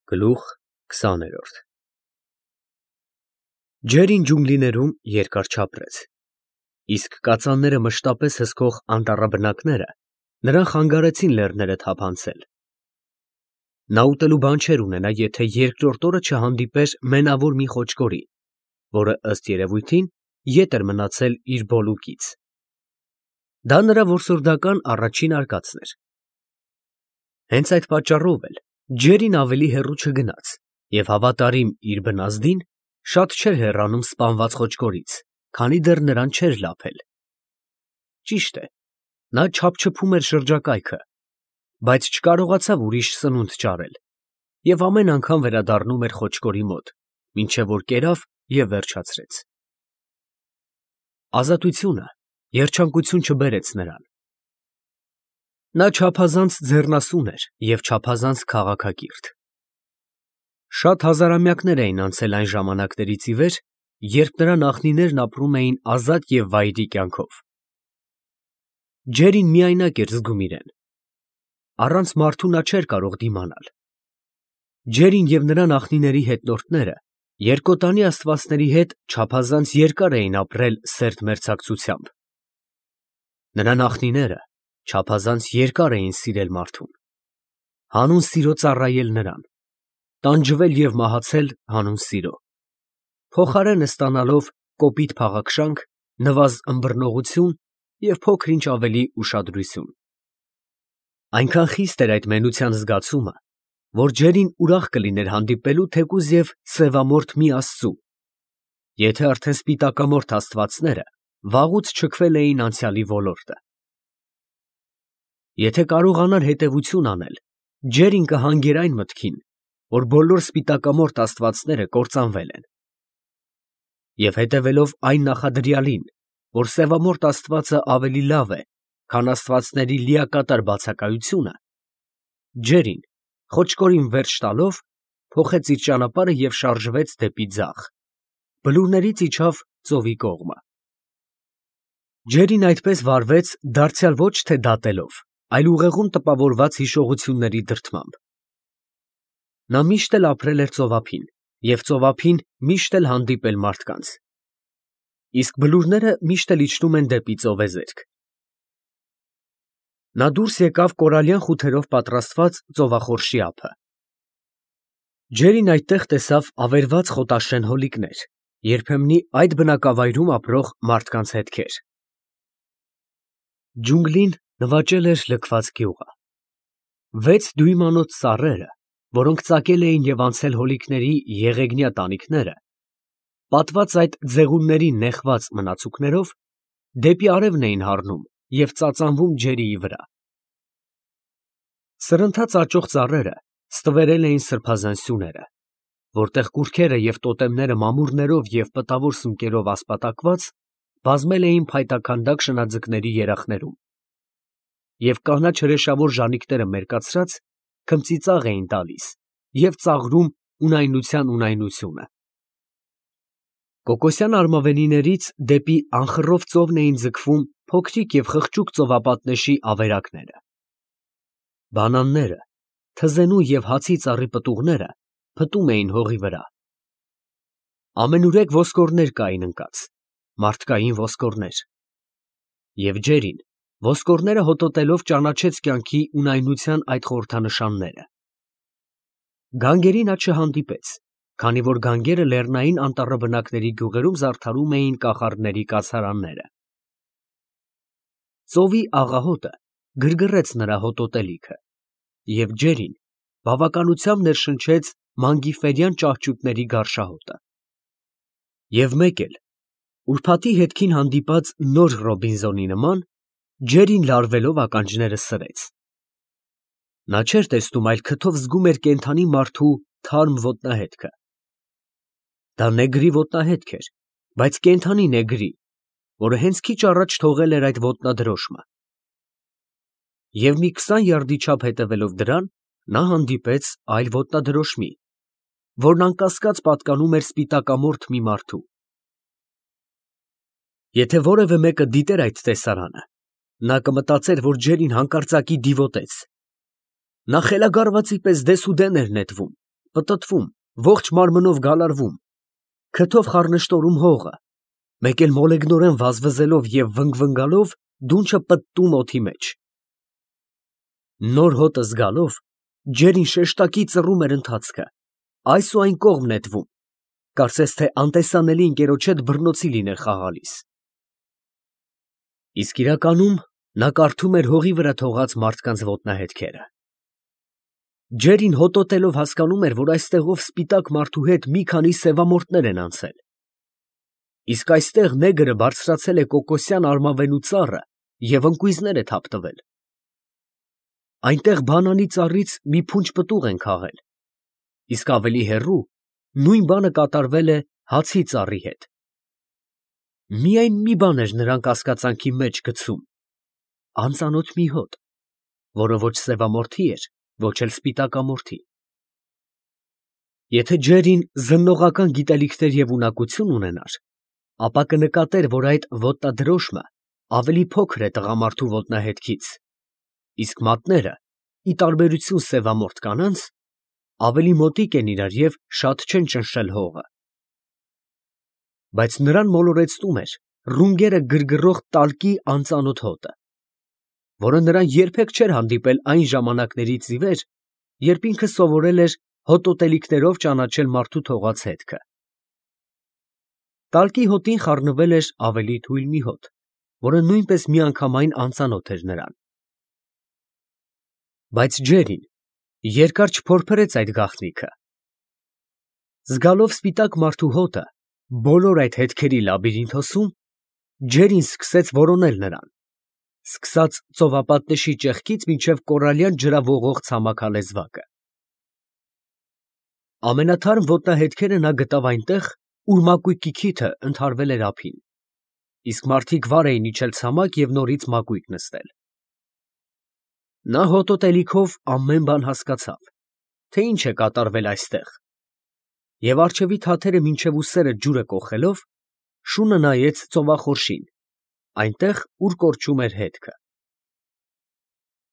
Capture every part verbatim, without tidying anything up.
Գլուխ քսաներորդ Ջերին ջունգլիներում երկար չապրեց, իսկ կածանները մշտապես հսկող անտառաբնակները նրան խանգարեցին լեռները թափանցել. նա ուտելու բան չէր ունենա, եթե երկրորդ օրը չհանդիպեր մենավոր մի խոճկորի, որը ըստ երևույթին ետ էր մնացել իր բոլուկից. դա նրա որսորդական առաջին արկածն էր. հենց այդ պատճառով էլ Ջերին ավելի հեռու չգնաց և հավատարիմ իր բնազդին շատ չէր հեռանում սպանված խոճկորից, քանի դեռ նրան չէր լափել. ճիշտ է, նա չափչփում էր շրջակայքը, բայց չկարողացավ ուրիշ սնունդ ճարել և ամեն անգամ վերադառնում էր խոճկորի մոտ, մինչև որ կերավ և վերջացրեց. ազատությունը երջանկություն չբերեց նրան. նա չափազանց ձեռնասուն էր և չափազանց քաղաքակիրթ. շատ հազարամյակներ էին անցել այն ժամանակներից ի վեր, երբ նրա նախնիներն ապրում էին ազատ և վայրի կյանքով. Ջերին միայնակ էր զգում իրեն. առանց մարդու նա չէր կարող դիմանալ. Ջերին և նրա նախնիների հետնորդները երկոտանի աստվածների հետ չափազանց երկար էին ապրել սերտ մերձակցությամբ. նրա նախնիները չափազանց երկար էին սիրել մարդուն, հանուն սիրո ծառայել նրան, տանջվել և մահացել հանուն սիրո, փոխարենը ստանալով կոպիտ փաղաքշանք, նվազ ըմբռնողություն և փոքր-ինչ ավելի ուշադրություն. այնքան խիստ էր այդ մենության զգացումը, որ Ջերին ուրախ կլիներ հանդիպելու թեկուզ և սևամորթ մի աստծու, եթե արդեն սպիտակամորթ աստվածները վաղուց չքվել էին անցյալի ոլորտը. եթե կարողանար հետևություն անել, Ջերին կհանգեր այն մտքին, որ բոլոր սպիտակամորթ աստվածները կործանվել են, և հետևելով այն նախադրյալին, որ սևամորթ աստվածը ավելի լավ է, քան աստվածների լիակատար բացակայությունը, Ջերին, խոճկորին վերջ տալով, փոխեց իր ճանապարհը և շարժվեց դեպի ձախ, բլուրներից իջավ ծովի կողմը. Ջերին այդպես վարվեց դարձյալ ոչ թե դատելով, այլ ուղեղում տպավորված հիշողությունների դրդմամբ. նա միշտ էլ ապրել էր ծովափին և ծովափին միշտ էլ հանդիպել մարդկանց, իսկ բլուրները միշտ էլ իջնում են դեպի ծովեզերք. նա դուրս եկավ կորալյան խութերով պատրաստված ծովախորշի ափը. Ջերին այդտեղ տեսավ ավերված խոտաշեն հոլիկներ, երբեմնի այդ բնակավայրում ապրող մարդկանց հետքեր. ջունգլին նվաճել էր լքված գյուղը. վեց դյույմանոց ծառերը, որոնք ծակել էին և անցել հոլիկների եղեգնյա տանիքները, պատված այդ ձեղունների նեխված մնացուկներով, դեպի արևն էին հառնում և ծածանվում ջերիի վրա. սրընթաց աճող ծառերը ստվերել էին սրբազան սյուները, որտեղ կուռքերը և տոտեմները մամուռներով և պտավոր սունկերով ասպատակված բազմել էին փայտաքանդակ շնաձկների երախներում, և կանաչ հրեշավոր ժանիքները մերկացրած քմծիծաղ էին տալիս և ծաղրում ունայնության ունայնությունը. կոկոսյան արմավենիներից դեպի անխռով ծովն էին ձգվում փոքրիկ և խղճուկ ծովապատնեշի ավերակները. բանանները, թզենու և հացի ծառի պտուղները փտում էին հողի վրա. ամենուրեք ոսկորներ կային ընկած, մարդկային ոսկորներ, և Ջերին ոսկորները հոտոտելով ճանաչեց կյանքի ունայնության այդ խորհրդանշանները. գանգերի նա չհանդիպեց, քանի որ գանգերը լեռնային անտառաբնակների գյուղերում զարդարում էին կախարդների կացարանները. ծովի աղահոտը գրգռեց նրա հոտոտելիքը, և Ջերին բավականությամբ ներշնչեց մանգիֆերյան ճահճուտների գարշահոտը. և մեկ էլ, ուրբաթի հետքին հանդիպած նոր Ռոբինզոնի նման, Ջերին լարվելով ականջները սրեց. նա չէր տեսնում, այլ քթով զգում էր կենդանի մարդու թարմ ոտնահետքը. դա նեգրի ոտնահետք էր, բայց կենդանի նեգրի, որը հենց քիչ առաջ թողել էր այդ ոտնադրոշմը. և մի քսան յարդի չափ հետևելով դրան, նա հանդիպեց այլ ոտնադրոշմի, որն անկասկած պատկանում էր սպիտակամորթ մի մարդու. եթե որևէ մեկը դիտեր այդ տեսարանը, նա կմտածեր, որ Ջերին հանկարծակի դիվոտեց. նա խելագարվածի պես դեսուդեն էր նետվում, պտտվում, ողջ մարմնով գալարվում, քթով խառնշտորում հողը, մեկ էլ մոլեգնորեն վազվզելով և վնգվնգալով դունչը պտտում օդի մեջ։ Նոր հոտը զգալով, ջերին շեշտակի ծռում էր ընթացքը, այս ու այն կողմ նետվում, կարծես թե անտեսանելի ընկերոջ հետ բռնոցի լիներ խաղալիս։ Իսկ իրականում նա կարդում էր հողի վրա թողած մարդկանց ոտնահետքերը։ Ջերին հոտոտելով հասկանում էր, որ այստեղով սպիտակ մարդու հետ մի քանի սևամորթներ են անցել։ Իսկ այստեղ նեգրը բարձրացել է կոկոսյան արմավենու ծառը և ընկույզներ է թափ տվել։ Այնտեղ բանանի ծառից մի փունջ պտուղ են քաղել, իսկ ավելի հեռու նույն բանը կատարվել է հացի ծառի հետ։ Միայն մի բան էր նրան կասկածանքի մեջ գցում, անծանոթ մի հոտ, որը ոչ սևամորթի էր, ոչ էլ սպիտակամորթի։ Եթե Ջերին զննողական գիտելիքներ և ունակություն ունենար, ապա կնկատեր, որ այդ ոտնադրոշմը ավելի փոքր է տղամարդու ոտնահետքից, իսկ մատները, ի տարբերություն սևամորթ կանանց, ավելի մոտիկ են իրար և շատ չեն ճնշել հողը։ Բայց նրան մոլորեցնում էր ռունգերը գրգռող տալկի անծանոթ հոտը, որը նրան երբեք չէր հանդիպել այն ժամանակներից ի վեր, երբ ինքը սովորել էր հոտոտելիքներով ճանաչել մարդու թողած հետքը։ Տալկի հոտին խառնվել էր ավելի թույլ մի հոտ, որը նույնպես միանգամայն անծանոթ էր նրան։ Բայց Ջերին երկար չփորփրեց այդ գաղտնիքը։ Զգալով սպիտակ մարդու հոտը բոլոր այդ հետքերի լաբիրինթոսում, Ջերին սկսեց որոնել նրան, սկսած ծովապատնեշի ճեղքից մինչև կորալյան ջրավողող ցամաքալեզվակը։ Ամենաթարմ ոտնահետքերը նա գտավ այնտեղ, ուր մակույկի քիթը ընդհարվել էր ափին, իսկ մարդիկ վար էին իջել ցամաք և նորից մակույկ նստել։ Նա հոտոտելիքով ամեն բան հասկացավ, թե ինչ է կատարվել այստեղ, և առջևի թաթերը մինչև ուսերը ջուրը կոխելով, շունը նայեց ծովախորշին, այնտեղ, ուր կորչում էր հետքը։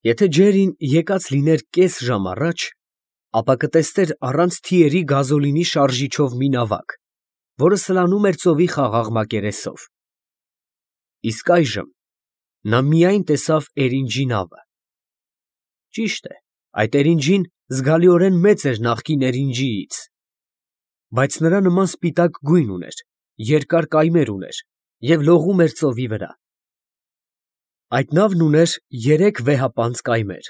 Եթե Ջերին եկած լիներ կես ժամ առաջ, ապա կտեսներ առանց թիերի գազոլինի շարժիչով մի նավակ, որը սլանում էր ծովի խաղաղ մակերեսով։ Իսկ այժմ նա միայն տեսավ Էրինջի նավը։ Ճիշտ է, այդ Էրինջին զգալիորեն մեծ էր նախկին Էրինջիից, բայց նրա նման սպիտակ գույն ուներ, երկար կայմեր ուներ և լողում էր ծովի վրա։ Այդ նավն ուներ երեք վեհապանծ կայմեր,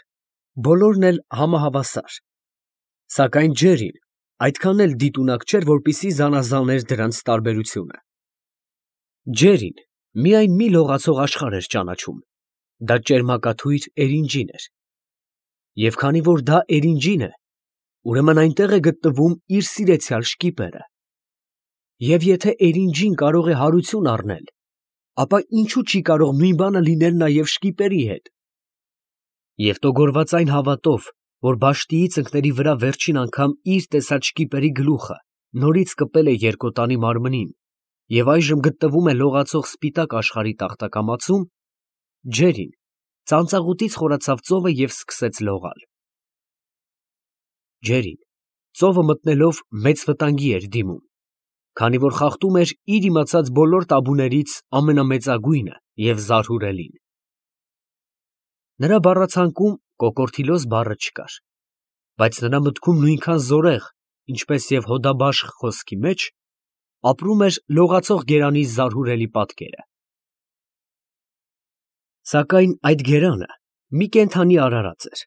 բոլորն էլ համահավասար, սակայն Ջերին այդքան էլ դիտունակ չէր, որպեսզի զանազաներ դրանց տարբերությունը։ Ջերին միայն մի լողացող աշխարհ էր ճանաչում, դա ճերմակաթույր Էրինջին էր։ Եվ քանի որ դա Էրինջին է, ուրեմն այնտեղ է գտնվում իր սիրեցյալ շկիպերը։ Եվ եթե Էրինջին կարող է հարություն առնել, ապա ինչո՞ւ չի կարող նույն բանը լինել նաև շկիպերի հետ։ Եվ տոգորված այն հավատով, որ բաշտիի ծնկների վրա վերջին անգամ իր տեսած շկիպերի գլուխը նորից կպել է երկոտանի մարմնին և այժմ գտնվում է լողացող սպիտակ աշխարհի տախտակամածում, Ջերին ծանծաղուտից խորացավ ծովը և սկսեց լողալ։ Ջերին ծովը մտնելով մեծ վտանգի էր դիմում, քանի որ խախտում էր իր իմացած բոլոր տաբուներից ամենամեծագույնը և զարհուրելին։ Նրա բառացանկում կոկորդիլոս բառը չկար, բայց նրա մտքում նույնքան զորեղ, ինչպես և հոդաբաշխ խոսքի մեջ, ապրում էր լողացող գերանի զարհուրելի պատկերը։ Սակայն այդ գերանը մի կենդանի արարած էր։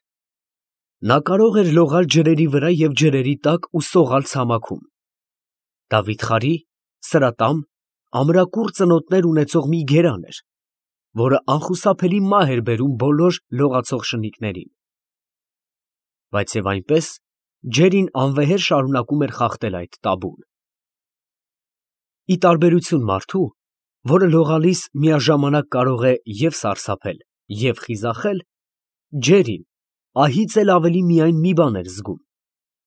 Նա կարող էր լողալ ջրերի վրա և ջրերի տակ ու սողալ ցամաքում։ Դա վիթխարի, սրատամ, ամրակուռ ծնոտներ ունեցող մի գերան էր, որը անխուսափելի մահ էր բերում բոլոր լողացող շնիկներին։ Բայց և այնպես Ջերին անվեհեր շարունակում էր խախտել այդ տաբուն։ Ի տարբերություն մարդու, որը լողալիս միաժամանակ կարող է և սարսափել, և խիզախել, Ջերին ահից էլ ավելի միայն մի բան էր զգում,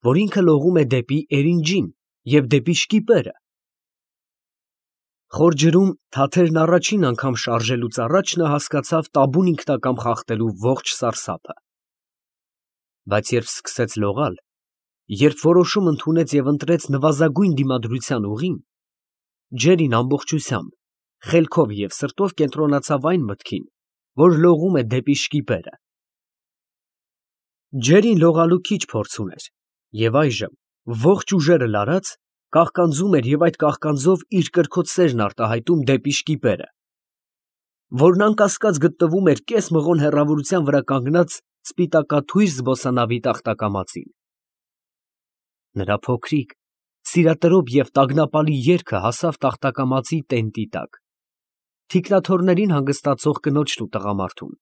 որ ինքը լողում է դեպի Էրինջին և դեպի շկիպերը։ Խոր ջրում թաթերն առաջին անգամ շարժելուց առաջ նա հասկացավ տաբուն ինքնակամ խախտելու ողջ սարսափը։ Բայց երբ սկսեց լողալ, երբ որոշում ընդունեց և ընտրեց նվազագույն դիմադրության ուղին, Ջերին ամբողջությամբ, խելքով և սրտով կենտրոնացավ այն մտքին, որ լողում է դեպի շկիպերը։ Ջերին լողալու քիչ փորձ ուներ և այժմ, ողջ ուժերը լարած, կաղկանձում էր և այդ կաղկանձով իր կրքոտ սերն արտահայտում դեպի շկիպերը, որն անկասկած գտնվում էր կես մղոն հեռավորության վրա կանգնած սպիտակաթույր զբոսանավի տախտակամածին։ Նրա փոքրիկ, սիրատրոփ և տագնապալի երգը հասավ տախտակամածի տենտի տակ, թիկնաթոռներին հանգստացող կնոջն ու տղամարդուն,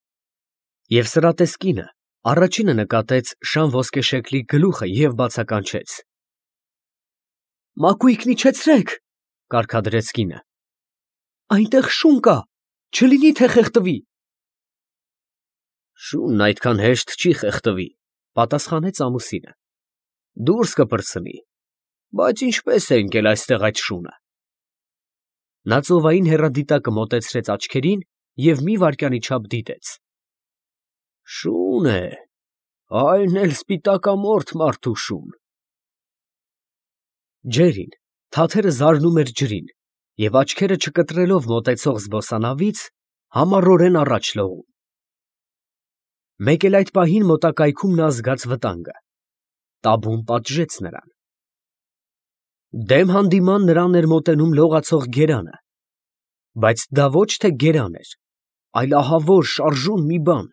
և սրատես կինը առաջինը նկատեց շան ոսկեշեկլի գլուխը և բացականչեց. «Մակույկն իջեցրեք», ֊ կարգադրեց կինը, «այնտեղ շուն կա, չլինի թե խեղդվի»։ «Շունն այդքան հեշտ չի խեղդվի», ֊ պատասխանեց ամուսինը, «դուրս կպրծնի, բայց ինչպե՞ս է ընկել այստեղ այդ շունը»։ Նա ծովային հեռադիտակը մոտեցրեց աչքերին և մի վայրկյանի չափ դիտեց։ «Շուն է, այն էլ սպիտակամորթ մարդու շուն»։ Ջերին թաթերը զարնում էր ջրին և աչքերը չկտրելով մոտեցող զբոսանավից, համառորեն առաջ լողում։ Մեկ էլ այդ պահին մոտակայքում նա զգաց վտանգը, տաբուն պատժեց նրան։ Դեմ հանդիման նրան էր մոտենում լողացող գերանը, բայց դա ոչ թե գերան էր, այլ ահավոր շարժուն մի բան։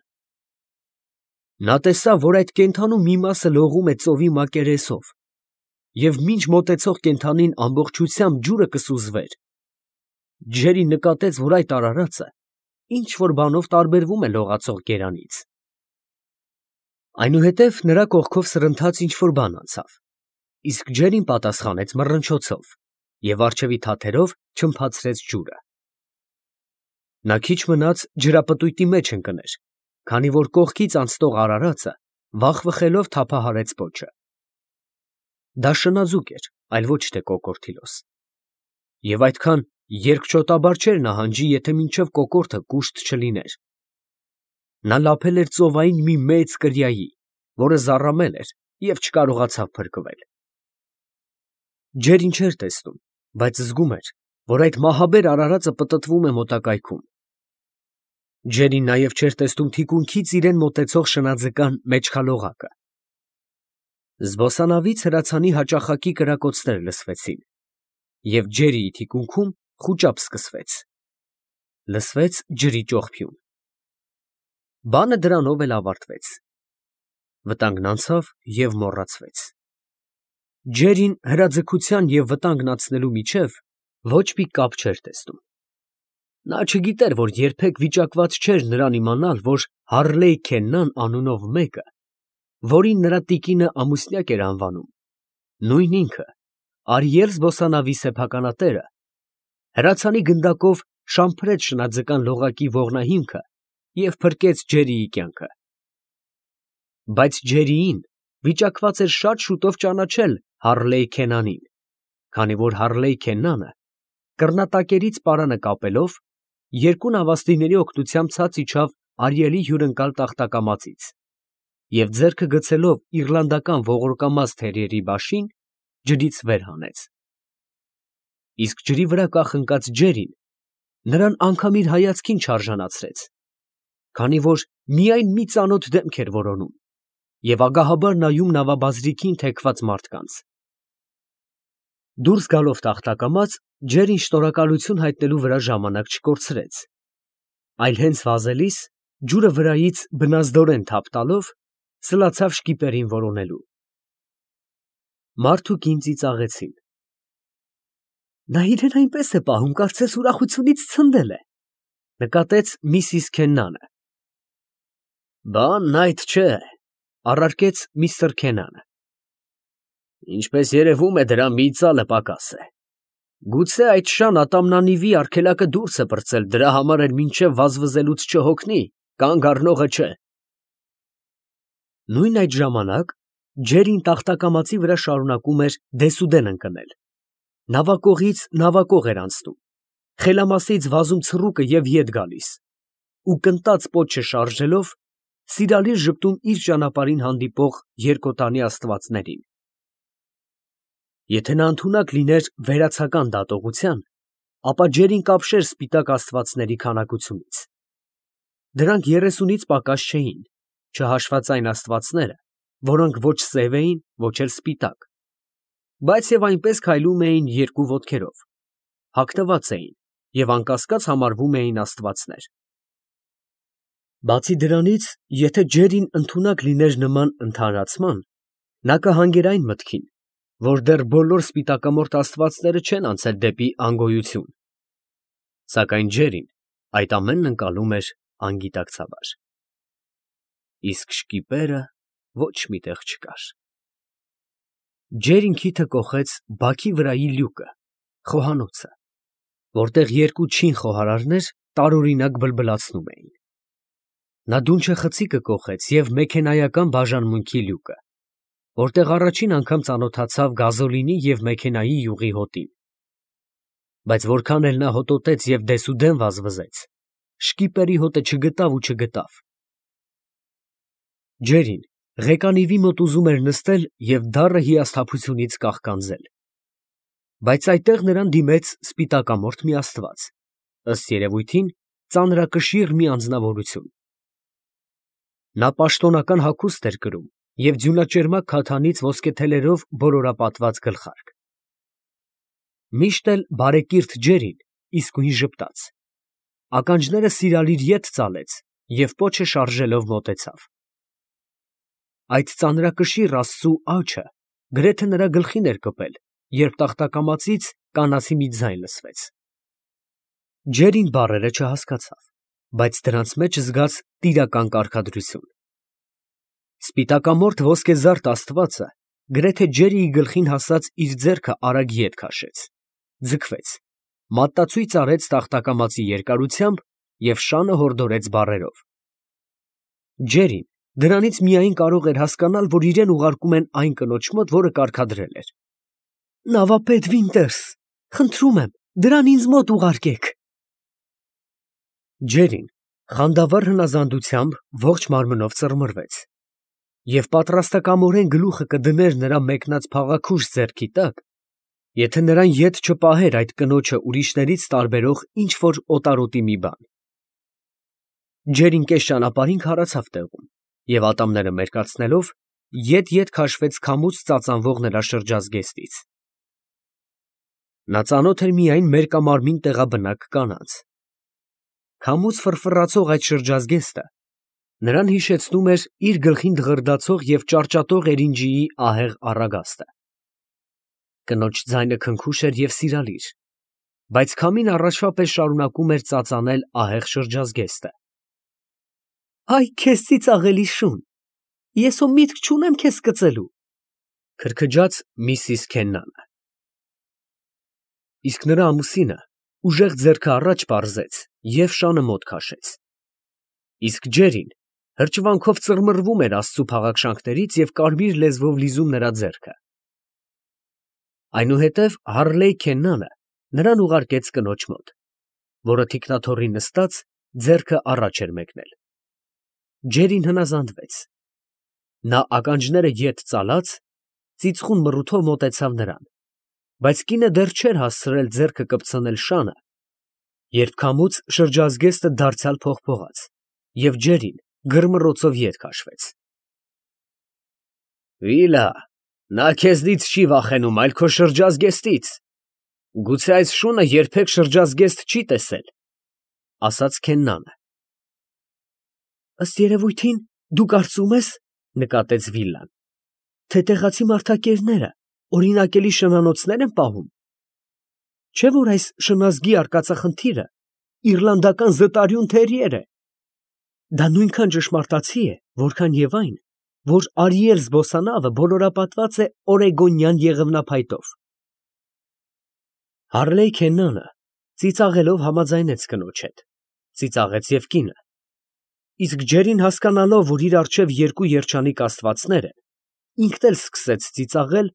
Նա տեսավ, որ այդ կենդանու մի մասը լողում է ծովի մակերեսով, և մինչ մոտեցող կենդանին ամբողջությամբ ջուրը կսուզվեր, Ջերին նկատեց, որ այդ արարածը ինչ֊որ բանով տարբերվում է լողացող գերանից։ Այնուհետև նրա կողքով սրընթաց ինչ֊որ բան անցավ, իսկ Ջերին պատասխանեց մռնչոցով և առջևի թաթերով չլմփացրեց ջուրը։ Նա քիչ մնաց ջրապտույտի մեջ ընկներ, քանի որ կողքից անցնող արարածը վախվխելով թափահարեց պոչը։ Դա շնաձուկ էր, այլ ոչ թե կոկորդիլոս, և այդքան երկչոտաբար չէր նահանջի, եթե մինչև կոկորդը կուշտ չլիներ։ Նա լափել էր ծովային մի մեծ կրիայի, որը զառամել էր և չկարողացավ փրկվել։ Ջերին չէր տեսնում, բայց զգում էր, որ այդ մահաբեր արարածը պտտվում է մոտակայքում։ Ջերին նաև չէր տեսնում թիկունքից իրան մոտեցող շնաձկան մեջքալողակը։ Զբոսանավից հրացանի հաճախակի կրակոցներ լսվեցին, և Ջերիի թիկունքում խուճապ սկսվեց։ Լսվեց ջրի ճողփյուն։ Բանը դրանով էլ ավարտվեց։ Վտանգն անցավ և մոռացվեց։ Ջերին հրաձգության և վտանգն անցնելու միջև ոչ մի կապ չէր տեսնում։ Նա չգիտեր, որ երբեք վիճակված չէր նրան իմանալ, որ Հարլեյ Քեննան անունով մեկը, որին նրա տիկինը ամուսնյակ էր անվանում, նույն ինքը, Արիել զբոսանավի սեփականատերը, հրացանի գնդակով շամփրեց շնաձկան լողակի ողնահիմքը և փրկեց Ջերիի կյանքը։ Բայց Ջերիին վիճակված էր շատ շուտով ճանաչել Հարլեյ Քենանին, քանի որ Հարլեյ Քեննանը, կռնատակերից պարանը կապելով, երկու նավաստիների օգնությամբ ցած իջավ Արիելի հյուրընկալ տախտակամածից և ձեռքը գցելով իռլանդական ողորկամազ թերիերի բաշին, ջրից վեր հանեց։ Իսկ ջրի վրա կախնկած Ջերին նրան անգամ իր հայացքին չարժանացրեց, քանի որ միայն մի ծանոթ դեմք էր որոնում և ագահաբար նայում նավաբազրիքին թեքված մարդկանց։ Դուրս գալով տախտակամաց, Ջերին շնորհակալություն հայտնելու վրա ժամանակ չկորցրեց, այլ հենց վազելիս, ջուրը վրայից բնազդորեն թափ տալով, սլացավ շկիպերին որոնելու։ Մարդ ու կին ծիծաղեցին։ «Նա իրեն այնպես է պահում, կարծես ուրախությունից ցնդել է», ֊ նկատեց միսիս Քեննանը։ «Բանն այդ չէ», ֊ առարկեց միստր Քենանը։ «Ինչպես երևում է, դրա մի ծալը պակաս է։ Գուցե այդ շան ատամնանիվի արգելակը դուրս է պրծել, դրա համար էլ մինչև վազվզելուց չհոգնի, կանգ առնողը չէ»։ Նույն այդ ժամանակ Ջերին տախտակամածի վրա շարունակում էր դեսուդեն ընկնել, նավակողից նավակող էր անցնում, խելամասից վազում ցռուկը և ետ գալիս, ու կնտած պոչը շարժելով, սիրալիր ժպտում իր ճանապարհին հանդիպող երկոտանի աստվածներին։ Եթե նա ընդունակ լիներ վերացական դատողության, ապա ջերին կապշեր սպիտակ աստվածների քանակությունից. դրանք երեսունից պակաս չէին, չհաշված այն աստվածները, որոնք ոչ սև էին, ոչ էլ սպիտակ, բայց և այնպես քայլում էին երկու ոտքերով, հագնված էին և անկասկած համարվում էին աստվածներ։ Բացի դրանից, եթե ջերին ընդունակ լիներ նման ընդհանրացման, նա կհանգեր այն մտքին, որ դեռ բոլոր սպիտակամորթ աստվածները չեն անցել դեպի անգոյություն, սակայն ջերին այդ ամենն ընկալում էր անգիտակցաբար։ Իսկ շկիպերը ոչ մի տեղ չկար։ Ջերին քիթը կոխեց բաքի վրայի լյուկը, խոհանոցը, որտեղ երկու չին խոհարարներ տարօրինակ բլբլացնում էին։ Նա դունչը խցիկը կոխեց և մեքենայական բաժանմունքի լյուկը, որտեղ առաջին անգամ ծանոթացավ գազոլինի և մեքենայի յուղի հոտին։ Բայց որքան էլ նա հոտոտեց և դեսուդեն վազվզեց, շկիպերի հոտը չգտավ ու չգտավ։ Ջերին ղեկանիվի մոտ ուզում էր նստել և դառը հիասթափությունից կաղկանձել, բայց այդտեղ նրան դիմեց սպիտակամորթ մի աստված, ըստ երևույթին ծանրակշիռ մի անձնավորություն։ Նա պաշտոնական հագուստ էր կրում և ձյունաճերմակ քաթանից ոսկեթելերով բոլորապատված գլխարկ։ Միշտ էլ բարեկիրթ ջերին իսկույն ժպտաց, ականջները սիրալիր ետ ծալեց և պոչը շարժելով մոտեցավ։ Այդ ծանրակշիռ աստծու աջը գրեթե նրա գլխին էր կպել, երբ տախտակամածից կանացի մի ձայն լսվեց։ Ջերին բառերը չհասկացավ, բայց դրանց մեջ զգաց տիրական կարգադրություն։ Սպիտակամորթ ոսկեզարդ աստվածը գրեթե ջերիի գլխին հասած իր ձեռքը արագ ետ քաշեց, ձգվեց, մատտացույց արեց տախտակամածի երկարությամբ և շանը հորդորեց բառերով։ Ջերին դրանից միայն կարող էր հասկանալ, որ իրան ուղարկում են այն կնոջ մոտ, որը կարգադրել էր. «Նավապետ Վինտերս, խնդրում եմ, դրան ինձ մոտ ուղարկեք»։ Ջերին խանդավառ հնազանդությամբ ողջ մարմնով ծռմռվեց և պատրաստակամորեն գլուխը կդներ նրա մեկնած փաղաքուշ ձեռքի տակ, եթե նրան ետ չպահեր այդ կնոջը ուրիշներից տարբերող ինչ֊որ օտարոտի մի բան։ Ջերին կես ճանապարհին քարացավ տեղում և ատամները մերկացնելով, ետ֊ետ քաշվեց քամուց ծածանվող նրա շրջազգեստից։ Նա ծանոթ էր միայն մերկամարմին տեղաբնակ կանանց։ Քամուց ֆռֆռացող այդ շրջազգեստը նրան հիշեցնում էր իր գլխին դղրդացող և ճարճատող էրինջիի ահեղ առագաստը։ Կնոջ ձայնը քնքուշ էր և սիրալիր, բայց քամին առաջվա պես շարունակում էր ծածանել ահեղ շրջազգեստը։ «Այ քեզ ծիծաղելի շուն, ես հո միտք չունեմ քեզ կծելու», ֊ քրքջաց միսիս Քեննանը։ Իսկ նրա ամուսինը ուժեղ ձեռքը առաջ պարզեց և շանը մոտ քաշեց։ Իսկ ջերին հրճվանքով ծռմռվում էր աստծու փաղաքշանքներից և կարմիր լեզվով լիզում նրա ձեռքը։ Այնուհետև Հարլեյ Քեննանը նրան ուղարկեց կնոջ մոտ, որը թիկնաթոռի նստած ձեռքը առաջ էր մեկնել։ Ջերին հնազանդվեց։ Նա ականջները ետ ծալած, ծիծխուն մռութով մոտեցավ նրան, բայց կինը դեռ չէր հասցրել ձեռքը կպցնել շանը, երբ քամուց շրջազգեստը դարձյալ փողփողաց, և ջերին գրմռոցով ետ քաշվեց։ «Վիլա, նա քեզնից չի վախենում, այլ քո շրջազգեստից, գուցե այս շունը երբեք շրջազգեստ չի տեսել», ֊ ասաց Քեննանը։ «Ըստ երևույթին, դու կարծում ես, ֊ նկատեց Վիլան, ֊ թե տեղացի մարդակերները օրինակելի շնանոցներ են պահում, չէ՞ որ այս շնազգի արկածախնդիրը իռլանդական զտարյուն թերիեր է։ Դա նույնքան ճշմարտացի է, որքան և այն, որ Արիել զբոսանավը բոլորապատված է օրեգոնյան եղևնափայտով»։ Հարլեյ Քեննանը ծիծաղելով համաձայնեց կնոջ հետ, ծիծաղեց և կինը, իսկ ջերին հասկանալով, որ իր առջև երկու երջանիկ աստվածներ են, ինքն էլ սկսեց ծիծաղել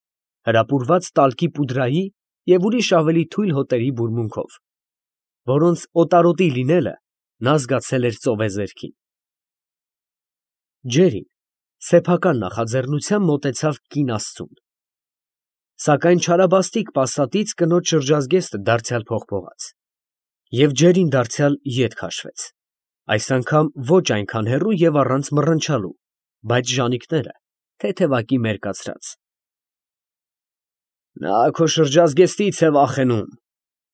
հրապուրված տալկի պուդրայի և ուրիշ ավելի թույլ հոտերի բուրմունքով, որոնց օտարոտի լինելը նա զգացել էր ծովեզերքին։ Ջերին սեփական նախաձեռնությամբ մոտեցավ կին աստծուն։ Սակայն չարաբաստիկ պասատից կնոջ շրջազգեստը դարձյալ փողփողաց, և ջերին դարձյալ ետ քաշվեց, այս անգամ ոչ այնքան հեռու և առանց մռնչալու, բայց ժանիքները թեթևակի մերկացրած։ Նա քո շրջազգեստից է վախենում,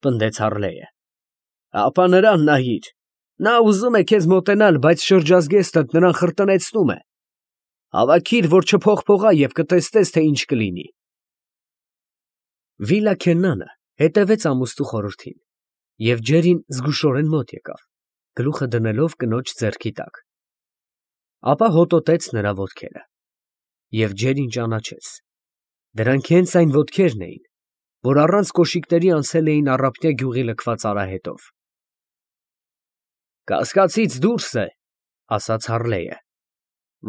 պնդեց Հառլեյը, ապա նրան նայիր, նա ուզում է քեզ մոտենալ, բայց շրջազգեստդ նրան խրտնեցնում է, հավաքիր, որ չփողփողա և կտեսնես, թե ինչ կլինի։ Վիլա Քեննանը հետևեց ամուսնու խորհրդին, և ջերին զգուշորեն մոտ եկավ, գլուխը դնելով կնոջ ձեռքի տակ, ապա հոտոտեց նրա ոտքերը, և ջերին ճանաչեց, դրանք հենց այն ոտքերն էին, որ առանց կոշիկների անցել էին Առափնյա գյուղի լքված արահետով։ Կասկածից դուրս է, ասաց Հառլեյը,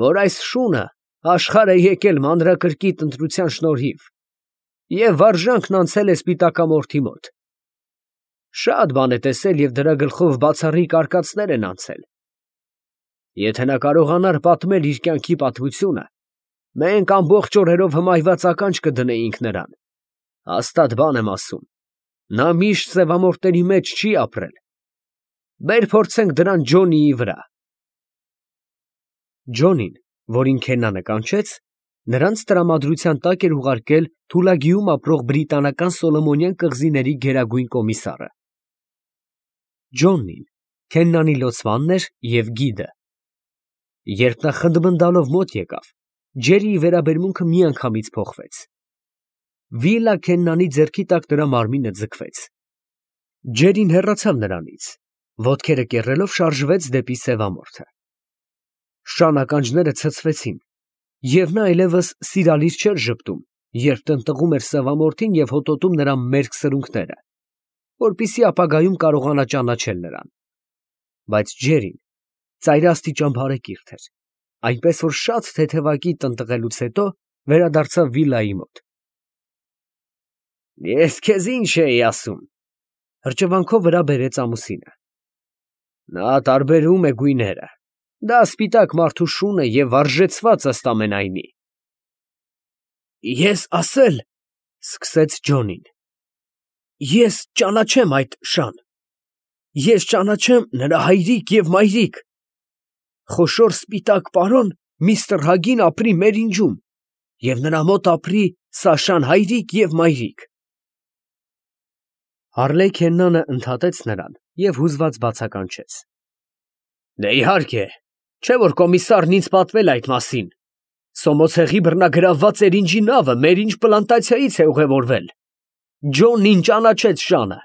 որ այս շունը աշխարհ է եկել մանրակրկիտ ընտրության շնորհիվ և վարժանքն անցել է սպիտակամորթի մոտ։ Շատ բան է տեսել և դրա գլխով բացառիկ արկածներ են անցել։ Եթե նա կարողանար պատմել իր կյանքի պատմությունը, մենք ամբողջ օրերով հմայված ականջ կդնեինք նրան, հաստատ բան եմ ասում, նա միշտ սևամորթների մեջ չի ապրել։ Բեր փորձենք դրան Ջոնիի վրա։ Ջոնին, որին Քեննանը կանչեց, նրանց տրամադրության տակ էր ուղարկել Թուլագիում ապրող բրիտանական Սոլոմոնյան կղզիների գերագույն կոմիսարը։ Ջոնին Քեննանի լոցմանն էր և գիդը։ Երբ նա խնդմնդալով մոտ եկավ, ջերիի վերաբերմունքը միանգամից փոխվեց։ Վիլա Քեննանի ձեռքի տակ նրա մարմինը ձգվեց։ Ջերին հեռացավ նրանից, ոտքերը կեռելով շարժվեց դեպի սևամորթը։ Շան ականջները ցցվեցին, և նա այլևս սիրալիր չէր ժպտում, երբ տնտղում էր սևամորթին և հոտոտում նրա մերկ սրունքները, որպեսզի ապագայում կարողանա ճանաչել նրան, բայց ջերին ծայրաստիճան բարեկիրթ էր, այնպես որ շատ թեթևակի տնտղելուց հետո վերադարձավ վիլայի մոտ։ Ես քեզ ինչ էի ասում, հրճվանքով վրա բերեց ամուսինը։ Նա տարբերում է գույները, դա սպիտակ մարդու շուն է և վարժեցված ըստ ամենայնի։ Ես ասել, սկսեց Ջոնին, ես ճանաչեմ այդ շան, ես ճանաչեմ նրա հայրիկ և մայրիկ, խոշոր սպիտակ պարոն միստր Հագին ապրի մեր ինջում, և նրա մոտ ապրի Սաշան հայրիկ և մայրիկ։ Հառլեյ Քեննանը ընդհատեց նրան և հուզված բացականչեց. Դե իհարկե, չէ որ կոմիսարն ինձ պատմել է այդ մասին, Սոմոցեղի բռնագրավված էրինջի նավը Մերինջ պլանտացիայից է ուղևորվել, Ջոնին ճանաչեց շանը,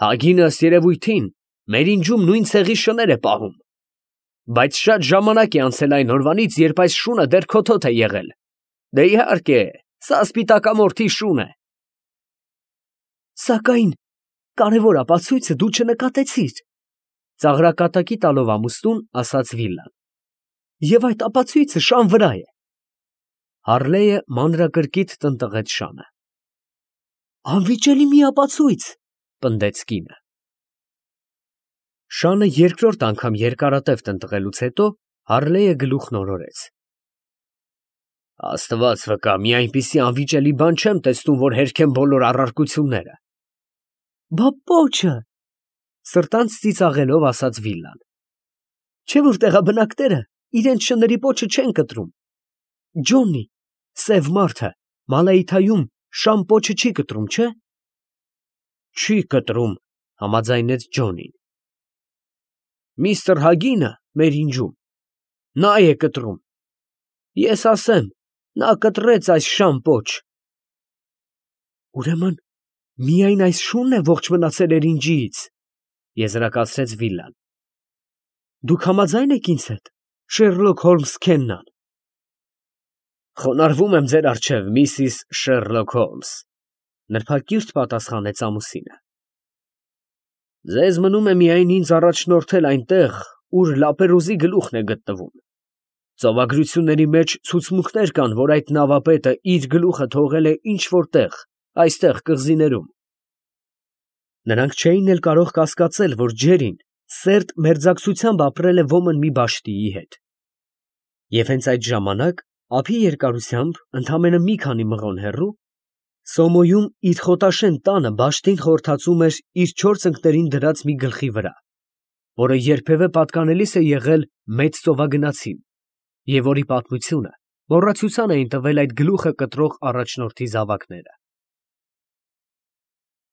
Հագինը ըստ երևույթին Մերինջում նույն ցեղի շներ է պահում, բայց շատ ժամանակ է անցել այն օրվանից, երբ այս շունը դեռ քոթոթ է եղել, դե իհարկե, սա սպիտակամորթի շուն է։ Սակայն կարևոր ապացույցը դու չնկատեցիր, ծաղրակատակի տալով ամուսնուն, ասաց Վիլան, և այդ ապացույցը շան վրա է։ Հառլեյը մանրակրկիտ տնտղեց շանը։ Անվիճելի մի ապացույց, պնդեց կինը։ Շանը երկրորդ անգամ երկարատև տնտղելուց հետո Հառլեյը գլուխն օրորեց։ Աստված վկա, մի այնպիսի անվիճելի բան չեմ տեսնում, որ հերքեմ բոլոր առարկությունները։ Բա պոչը, սրտանց ծիծաղելով ասաց Վիլան, չէ որ տեղաբնակները իրենց շների պոչը չեն կտրում։ Ջոնի, սև մարդը, Մալայիթայում շան պոչը չի կտրում, չէ։ Չի կտրում, համաձայնեց Ջոնին։ Միստր Հագինը մեր ինջում, նա է կտրում։ Ես ասեմ, նա կտրեց այս շան պոչ։ Ուրեմն միայն այս շունն է ողջ մնացել էրինջիից, եզրակացրեց Վիլան։ Դուք համաձայն եք ինձ հետ, Շերլոք Հոլմս Քեննան։ Խոնարհվում եմ ձեր առջև, միսիս Շերլոք Հոլմս, նրբակիրթ պատասխանեց ամուսինը։ Ձեզ մնում է միայն ինձ առաջնորդել այնտեղ, ուր Լապերոզի գլուխն է գտնվում։ Ծովագրությունների մեջ ցուցմունքներ կան, որ այդ նավապետը իր գլուխը թողել է ինչ֊որ տեղ, այստեղ կղզիներում։ Նրանք չէին էլ կարող կասկածել, որ ջերին սերտ մերձակցությամբ ապրել է ոմն մի բաշտիի հետ։ Եվ հենց այդ ժամանակ, ափի երկարությամբ, ընդամենը մի քանի մղոն հեռու, Սոմոյում իր խոտաշեն տանը բաշտին խորթացում էր իր չորս ընկներին դրած մի գլխի վրա, որը երբևէ պատկանելիս է եղել մեծ ծովագնացին, և որի պատմությունը մոռացության էին տվել այդ գլուխը կտրող առաջնորդի զավակները։